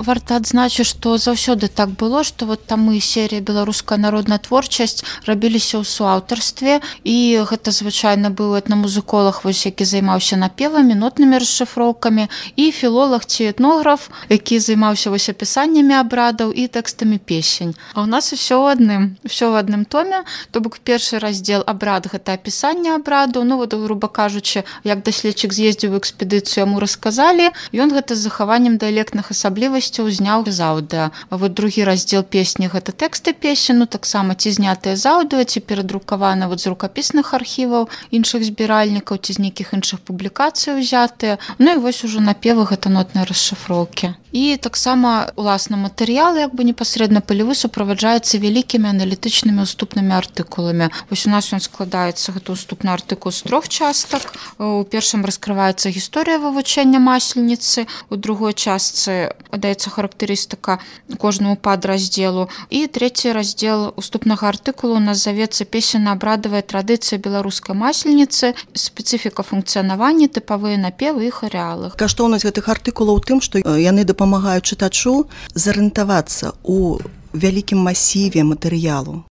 варта адзначыць, што заўсёды так было, што вот тамы серія беларуская народная творчасць рабіліся ў суаўтарстве, і гэта звычайна быў этнамузыколог, вось які займаўся напевамі, нотнымі расшыфроўкамі, і філолог ці этнограф, які займаўся вось апісаннямі абрадаў і тэкстамі песень. А ў нас усё ў адным томе, то бок першы раздзел абрад гэта апісанне абраду, ну вот груба кажучы, як даследчык з'ездзіў у экспедыцыю, яму расказалі, ён гэта з захаваннем дыялектных асаблівасцяў зняў з аўдыа. А вот другі раздзел песні гэта тэксты песень, ну таксама ці знятыя з аўдыа, ці перадрукаваны вот з рукапісных архіваў іншых збіральнікаў, ці з нейкіх іншых публікацый узятыя. Ну і вось ужо напевы гэта нотныя расшыфроўкі. І таксама уласна матэрыял як бы непасрэдна палявы суправаджаецца вялікімі аналітычнымі уступнымі артыкуламі. Вось у нас ён складаецца, гэта уступны артыкул з 3 частак. У першым раскрываецца гісторыя вывучэння масленіцы, у другой частцы даецца характарыстыка кожнаму падраздзелу, і трэці раздзел уступнага артыкулу у нас завецца песенна-абрадавая традыцыя беларускай масленіцы, спецыфіка функцыянавання, тыпавыя напевы і харэалы. Каштоўнасць гэтых артыкулаў у тым, што яны дапамагаюць чытачу зарыентавацца ў вялікім масіве матэрыялу.